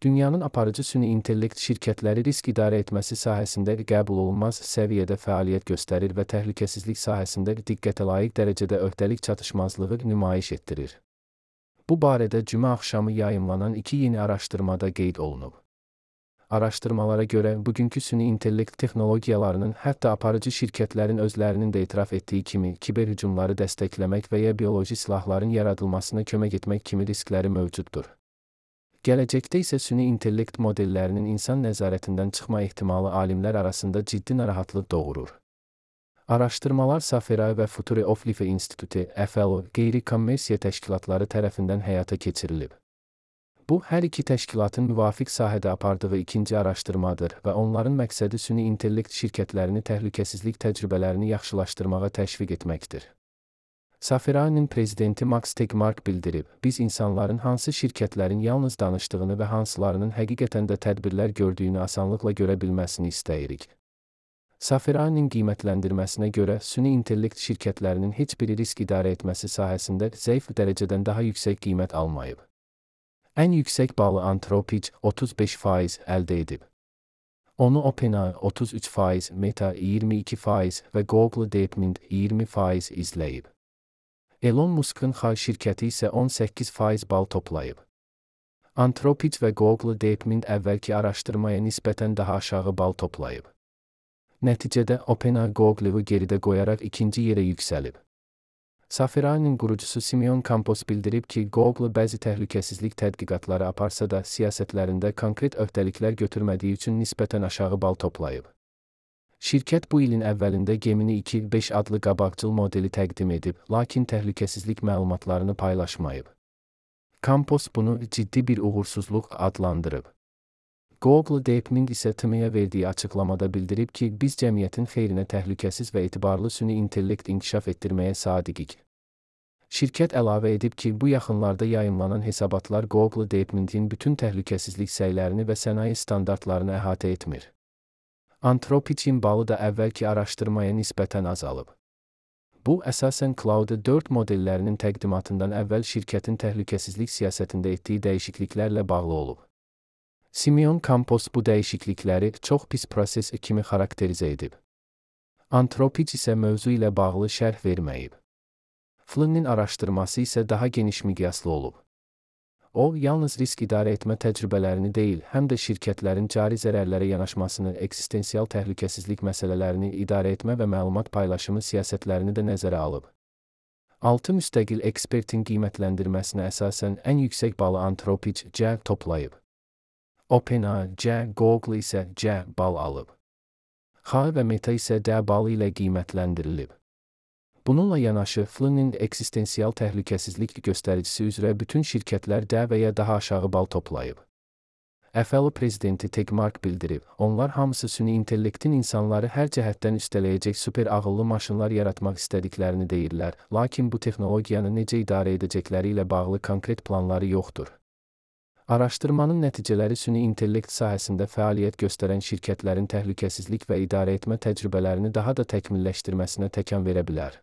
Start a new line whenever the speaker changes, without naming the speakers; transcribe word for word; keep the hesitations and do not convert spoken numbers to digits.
Dünyanın aparıcı süni intellekt şirkətləri risk idarə etməsi sahəsində qəbul olunmaz səviyyədə fəaliyyət göstərir və təhlükəsizlik sahəsində diqqətə layiq dərəcədə öhdəlik çatışmazlığı nümayiş etdirir. Bu barədə cümə axşamı yayımlanan iki yeni araşdırmada qeyd olunub. Araşdırmalara görə, bugünkü süni intellekt texnologiyalarının hətta aparıcı şirkətlərin özlərinin də etiraf etdiyi kimi kiber hücumları dəstəkləmək və ya bioloji silahların yaradılmasına kömək etmək kimi riskləri mövcuddur. Gələcəkdə isə süni intellekt modellərinin insan nəzarətindən çıxma ehtimalı alimlər arasında ciddi narahatlıq doğurur. Araşdırmalar Safera və Future of Life İnstitutu F L O qeyri-kommersiya təşkilatları tərəfindən həyata keçirilib. Bu, hər iki təşkilatın müvafiq sahədə apardığı ikinci araşdırmadır və onların məqsədi süni intellekt şirkətlərini təhlükəsizlik təcrübələrini yaxşılaşdırmağa təşviq etməkdir. Safera'nın prezidenti Max Tegmark bildirib, biz insanların hansı şirkətlərin yalnız danışdığını və hansılarının həqiqətən də tədbirlər gördüyünü asanlıqla görə bilməsini istəyirik. Safera'nın qiymətləndirməsinə görə, süni intellekt şirkətlərinin heç biri risk idarə etməsi sahəsində zəif dərəcədən daha yüksək qiymət almayıb. Ən yüksək balı Anthropic otuz beş faiz əldə edib. Onu OpenAI otuz üç faiz, Meta iyirmi iki faiz və Google DeepMind iyirmi faiz izləyib. Elon Musk'ın Xay şirkəti isə on səkkiz faiz bal toplayıb. Anthropic və Google DeepMind əvvəlki araşdırmaya nisbətən daha aşağı bal toplayıb. Nəticədə OpenAI Google'ı geridə qoyaraq ikinci yerə yüksəlib. Safera'nın qurucusu Simeon Campos bildirib ki, Google bəzi təhlükəsizlik tədqiqatları aparsa da siyasətlərində konkret öhdəliklər götürmədiyi üçün nisbətən aşağı bal toplayıb. Şirkət bu ilin əvvəlində Gemini iki beş adlı qabaqcıl modeli təqdim edib, lakin təhlükəsizlik məlumatlarını paylaşmayıb. Campos bunu ciddi bir uğursuzluq adlandırıb. Google DeepMind isə T M E-yə verdiyi açıqlamada bildirib ki, biz cəmiyyətin xeyrinə təhlükəsiz və etibarlı süni intellekt inkişaf etdirməyə sadiqik. Şirkət əlavə edib ki, bu yaxınlarda yayımlanan hesabatlar Google DeepMind'in bütün təhlükəsizlik səylərini və sənaye standartlarını əhatə etmir. Anthropic'in balı da əvvəlki araşdırmaya nisbətən azalıb. Bu, əsasən Cloud dörd modellərinin təqdimatından əvvəl şirkətin təhlükəsizlik siyasətində etdiyi dəyişikliklərlə bağlı olub. Simeon Campos bu dəyişiklikləri çox pis proses kimi xarakterizə edib. Anthropic isə mövzu ilə bağlı şərh verməyib. Flynn'in araşdırması isə daha geniş miqyaslı olub. O, yalnız risk idarə etmə təcrübələrini deyil, həm də şirkətlərin cari zərərlərə yanaşmasını, eksistensial təhlükəsizlik məsələlərini idarə etmə və məlumat paylaşımı siyasətlərini də nəzərə alıb. Altı müstəqil ekspertin qiymətləndirməsinə əsasən ən yüksək balı Anthropic C toplayıb. OpenAI C, Google isə C bal alıb. Xay və Meta isə D balı ilə qiymətləndirilib. Bununla yanaşı, Flynn'in eksistensial təhlükəsizlik göstəricisi üzrə bütün şirkətlər D və ya daha aşağı bal toplayıb. F L O prezidenti Tegmark bildirib, onlar hamısı süni intellektin insanları hər cəhətdən üstələyəcək super ağıllı maşınlar yaratmaq istədiklərini deyirlər, lakin bu texnologiyanı necə idarə edəcəkləri ilə bağlı konkret planları yoxdur. Araşdırmanın nəticələri süni intellekt sahəsində fəaliyyət göstərən şirkətlərin təhlükəsizlik və idarə etmə təcrübələrini daha da təkmilləşdirməsinə təkan verə bilər.